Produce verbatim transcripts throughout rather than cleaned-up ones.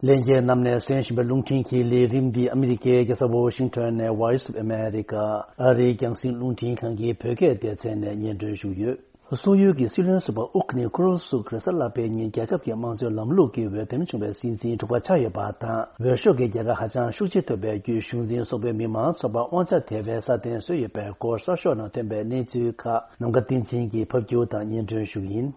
ལྷན་རྒྱས་རྣམས་ནས་གསན་བཞིན་པའི་རླུང་འཕྲིན་གྱི་ལས་རིམ་འདི་ཨ་མི་རི་ཀའི་རྒྱལ་ས་ཝོ་ཤིང་ཊོན་ནས་Voice of America ཨ་རིའི་རྒྱང་སྲིང་རླུང་འཕྲིན་ཁང་གི་བོད་སྐད་སྡེ་ཚན་ནས་སྙན་སྒྲོན་ཞུས་ཡོད། སོག་ཡུལ་གྱི་སྲིད་བློན་ཟུར་པ་ཨུ་ཁུ་ནི་ཁུ་རུ་སུག་རེས་གཟའ་ལྷག་པའི་ཉིན་རྒྱལ་ཁབ་ཀྱི་དམངས་གཙོའི་ལམ་ལུགས་ཀྱི་འོས་འདེམས་བྱུང་བའི་སྲིད་འཛིན་དྲུག་པ་ཆགས་ཡོད་པ་དང་། འོས་ཤོག་གི་རྒྱལ་ཁ་ཧ་ཅང་ཤུགས་ཆེ་ཐོབ་པའི་བརྒྱུད། གཞུང་འཛིན་སོག་པོའི་མི་མང་ཚོགས་པ་དབང་ཆ་དེ་བས་སྲ་བརྟན་བཟོས་ཡོད་པའི་སྐོར་གསར་ཤོག་ནང་ཐོན་པའི་གནས་ཚུལ་ཁག་ནམ་མཁའ་བསྟན་འཛིན་གྱིས་ཕབ་སྒྱུར་དང་སྙན་སྒྲོན་ཞུ་གི་ཡིན།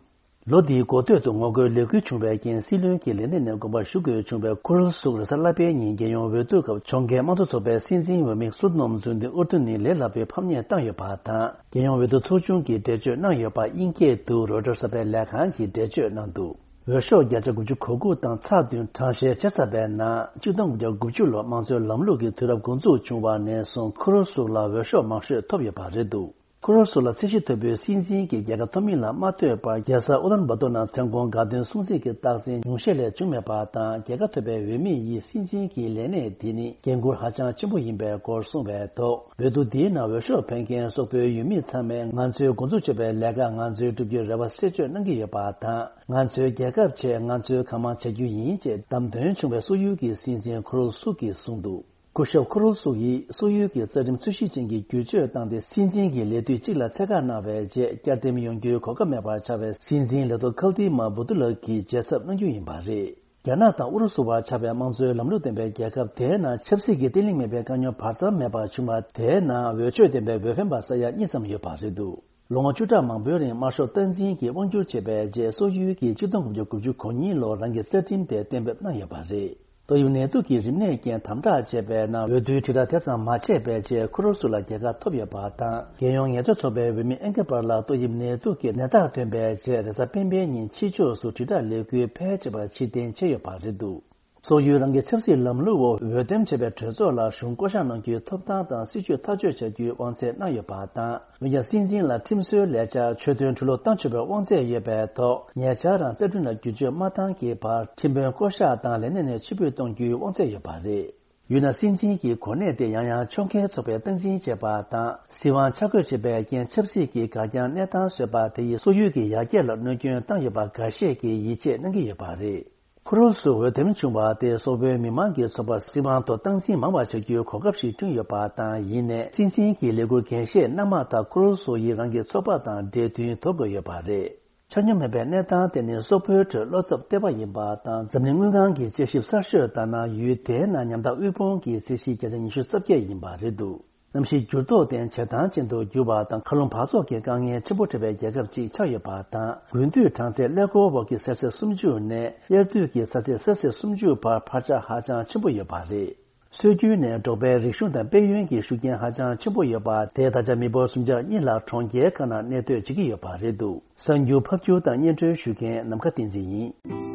ལོ་འདིའི་འགོ་སྟོད་དུ་ངོ་རྒོལ་ལས་འགུལ་བྱུང་བའི་རྐྱེན། སྲིད་བློན་གྱི་ལས་གནས་ནས་དགོངས་པ་ཞུ་དགོས་བྱུང་བའི་ཁུ་རུ་སུག་རེས་གཟའ་ལྷག་པའི་ཉིན་རྒྱལ་ཡོངས་འོས་བསྡུ་སྐབས་ཕྱོགས་འགལ་དམངས་གཙོ་ཚོགས་པའི་སྲིད་འཛིན་འོས་མི་སུ་ནོམ་ཛུན་ཏི་ཨུར་ཏུ་ནི་ལས་སླ་པོའི་ཕམ་ཉེས་བཏང་ཡོད་པ་དང་། རྒྱལ་ཡོངས་འོས་བསྡུ་ཚོགས་ཆུང་གིས་འགྲེལ་བརྗོད་གནང་ཡོད་པ་དབྱིན་སྐད་དུ་རོའི་ཊར་གསར་པའི་ལས་ཁང་གིས་འགྲེལ་བརྗོད་གནང་འདུག་འོས་ཤོག་བརྒྱ་ཆ་དགུ་བཅུ་གོ་དགུ་དང་ཚེག་བདུན་གྲངས་བཤེར་བྱས་ཚར་བའི་ནང་། གཅིག་སྟོང་དགུ་བརྒྱ་དགུ་བཅུ་ལོར་དམངས་གཙོའི་ལམ་ལུགས་ཀྱི་དུས་རབས་འགོ་འཛུགས་བྱུང་བ་ནས་བཟུང་ཁུ་རུ་སུག་ལ་འོས་ཤོག་མང་ཤོས་ཐོབ་ཡོད་པ་རེད་འདུག་ཁུ་རུ་སུག་ལ་ཚད་གཞི་མཐོ་པོའི་སྲིད་འཛིན་གྱི་རྒྱལ་ཁ་ཐོབ་མིན་ལ་མ་ལྟོས་པར། རྒྱལ་ས་ཨུ་ལན་བ་ཏོར་ནང་མཚན་གུང་དགའ་སྟོན་སྲུང་བརྩི་གི་རྟགས་མཚན་ཉུང་ཤས་ལས་བྱུང་མེད་པ་དང་། རྒྱལ་ཁ་ཐོབ་པའི་འོས་མི་ཡིས་སྲིད་འཛིན་གྱི་ལས་གནས་དེ་ནི་འགན་འཁུར་ཧ་ཅང་ཆེན་པོ་ཡིན་པའི་སྐོར་གསུངས་པའི་ཐོག་འོས་བསྡུ་འདིའི་ནང་འོས་ཤོག་འཕེན་མཁན་སོག་པོའི་ཡུལ་མི་ཚང་མས་ང་ཚོའི་འགོ་འཛུགས་བྱས་པའི་ལས་ཀ་ང་ཚོས་བསྒྲུབ་རྒྱུའི་རེ་བ་གསལ་བརྗོད་གནང་གི་ཡོད་པ་དང་། ང་ཚོའི་རྒྱལ་ཁབ་ཆེད་ང་ཚོས་གང་མང་བྱ་རྒྱུ་ཡིན་ཅེས་བདམས་ཐོན་བྱུང་བའི་སོག་ཡུལ་གྱི་སྲིད་འཛིན་ཁུ་རུ་སུག་གིས་གསུངས་འདུག་སྐུ་ཞབས་ཁུ་རུ་སུག་ཡིས་སོག་ཡུལ་གྱི་རྩ་ཁྲིམས་འཚོལ་ཞིབ་ཅན་གྱི་བསྒྱུར་བཅོས་བཏང་སྟེ། སྲིད་འཛིན་གྱི་ལས་དུས་གཅིག་ལ་ཚད་བཀག་གནང་བའི་རྗེས། བསྐྱར་འདེམས་ཡོང་རྒྱུའི་གོ་སྐབས་མེད་པར་ཆགས་པའི་སྲིད་འཛིན་ལས་ཐོག་ཁལ་ཏི་མ་བུ་ཏུ་ལགས་ཀྱིས་རྒྱལ་ཚབ་གནང་རྒྱུ་ཡིན་པ་རེད། རྒྱ་ནག་དང་ཨུ་རུ་སུ་བར་ཆགས་པའི་དམངས་གཙོའི་ལམ་ལུགས་ལྡན་པའི་རྒྱལ་ཁབ་དེའི་ནང་ཆབ་སྲིད་ཀྱི་བརྟན་ལྷིང་མེད་པའི་དཀའ་རྙོག་བར་མཚམས་མེད་པར་བྱུང་བ། དེའི་ནང་འོས་ཆོས་ལྡན་པའི་འོས་འཕེན་པ་ས་ཡ་གཉིས་ཙམ་ཡོད་པ་རེད་འདུག་ལོ་ངོ་བཅུ་ཕྲག་མང་པོའི་རིང་དམར་ཤོག་སྟངས་འཛིན་གྱིས་དབང་བསྒྱུར་བྱས་པའི་རྗེས། སོག་ཡུལ་གྱིས་གཅིག་སྟོང་དགུ་བརྒྱ་དགུ་བཅུ་གོ་གཉིས་ལོར་རང་གི་རྩ་ཁྲིམས་དེ་གཏན་འབེབས་གནང་ཡོད་པ་རེད། ཏོག་དབྱིབས་ནད་དུག་གི་རིམས་ནད་རྐྱེན་དམ་དྲག་བྱས་པའི་ནང་། འོས་བསྡུའི་དྲིལ་བསྒྲགས་དེ་ཙམ་མ་བྱས་པའི་རྗེས། ཁུ་རུ་སུག་ལ་རྒྱལ་ཁ་ཐོབ་ཡོད་པ་དང་། རྒྱལ་ཡོངས་ངལ་རྩོལ་ཚོགས་པའི་འོས་མི་ཨེན་ཀེ་པར་ལ་ཏོག་དབྱིབས་ནད་དུག་གི་ནད་རྟགས་ཐོན་པའི་རྗེས། རེས་གཟའ་སྤེན་པའི་ཉིན་ཕྱི་ཕྱོགས་སུ་དྲིལ་བསྒྲགས་ལས་འགུལ་ཕལ་ཆེ་བ་ཕྱིར་འཐེན་བྱས་ཡོད་པ་རེད་འདུག་སོག་ཡུལ་རང་གི་ཆབ་སྲིད་ལམ་ལུགས་འོག་འོས་འདེམས་བྱས་པའི་གྲོས་ཚོགས་ལ་གཞུང་བསྐོ་གཞག་གནང་རྒྱུའི་ཐོབ་ཐང་དང་སྲིད་ཇུས་ཐག་གཅོད་བྱ་རྒྱུའི་དབང་ཚད་གནང་ཡོད་པ་དང་། འོན་ཀྱང་སྲིད་འཛིན་ལ་ཁྲིམས་བཟོའི་ལས་འཆར་ཆོད་དོན་འཕྲུལ་སློབ་གཏོང་ཆོག་པའི་དབང་ཚད་ཡོད་པའི་ཐོག་ཉེ་ཆར་རང་རྩ་ཁྲིམས་ལ་བསྒྱུར་བཅོས་མ་བཏང་གི་བར། ཁྲིམས་དཔོན་བསྐོ་གཞག་དང་ལས་གནས་ནས་ཕྱིར་འབུད་གཏོང་རྒྱུའི་དབང་ཚད་ཡོད་པ་རེད། ཡུལ་ནང་སྲིད་འཛིན་གྱི་གོ་གནས་དེ་ཡང་ཡང་ཕྱོགས་འགལ་ཚོགས་པས་སྟངས་འཛིན་བྱས་པ་དང་། སྲིད་དབང་ཆ་བགོས་བྱས་པའི་རྐྱེན། ཆབ་སྲིད་ཀྱི་འགག་རྐྱང་གནས་སྟངས་བཟོས་པ་དེ་ཡིས་སོག་ཡུལ་གྱི་ཡར་རྒྱས་ལ་གནོད་སྐྱོན་བཏང་ཡོད་པ་འགའ་ཤས་ཀྱིས་ཡིད་ཆེས་གནང་གི་ཡོད་པ་རེད། ཁུ་རུ་སུག་འོས་འདེམས་བྱུང་བ་དེས་སོག་པོའི་མི་མང་གི་ཚོགས་པར་སྲིད་དབང་ཐོག་སྟངས་འཛིན་མང་བ་བྱ་རྒྱུའི་གོ་སྐབས་ཤིག་བསྐྲུན་ཡོད་པ་དང་། ཡིན་ནའི་སྲིད་འཛིན་གྱི་ལས་འཁུར་འགན་བཞེས་གནང་མ་ཐག་ཁུ་རུ་སུག་ཡིས་རང་གི་ཚོགས་པ་དང་འབྲེལ་མཐུན་དོར་དགོས་ཡོད་པ་རེད། ཆ་སྙོམས་མེད་པའི་གནས་སྟངས་དེ་ནི་སོག་པོའི་ཁྲོད་བློ་འཚབ་སྟེར་བ་ཡིན་པ་དང་། འཛམ་གླིང་དངུལ་ཁང་གི་དཔྱད་ཞིབ་གསར་ཤོས་ལྟར་ན། ཡུལ་དེའི་ནང་ཉམ་ཐག་དབུལ་ཕོངས་ཀྱི་ཚད་གཞི་བརྒྱ་ཆ་ཉི་ཤུ་རྩ་བརྒྱད་ཡིན་པ་རེད་འདུག་གནམ་གཤིས་འགྱུར་ལྡོག་དེ་བྱེ་ཐང་ཅན་དུ་འགྱུར་བ་དང་། མཁའ་རླུང་འབག་བཙོག་གི་དཀའ་ངལ་ཆེན་པོ་འཕྲད་པའི་རྒྱལ་ཁབ་ཅིག་ཆགས་ཡོད་པ་དང་། དགུན་དུས་གྲང་ཚད་ཀླད་ཀོར་འོག་གི་སེལ་སི་སུམ་ཅུ་ནས་དབྱར་དུས་ཀྱི་ཚ་ཚད་སེལ་སི་སུམ་ཅུ་བར་འཕར་ཆག་ཧ་ཅང་ཆེན་པོ་ཡོད་པ་རེད། སྲོལ་རྒྱུན་ནས་འབྲོག་པའི་རིག་གཞུང་དང་དཔལ་ཡོན་གྱི་ཤུགས་རྐྱེན་ཧ་ཅང་ཆེན་པོ་ཡོད་པ་དེས་ད་ཆ་མི་འབོར་སུམ་ཆ་གཉིས་ལྷག་གྲོང་ཁྱེར་ཁག་ནང་གནས་སྡོད་བྱེད་ཀྱི་ཡོད་པ་རེད་འདུག་གསར་འགྱུར་ཕབ་སྒྱུར་དང་སྙན་སྒྲོན་ཞུ་མཁན་ནམ་མཁའ་བསྟན་འཛིན་ཡིན།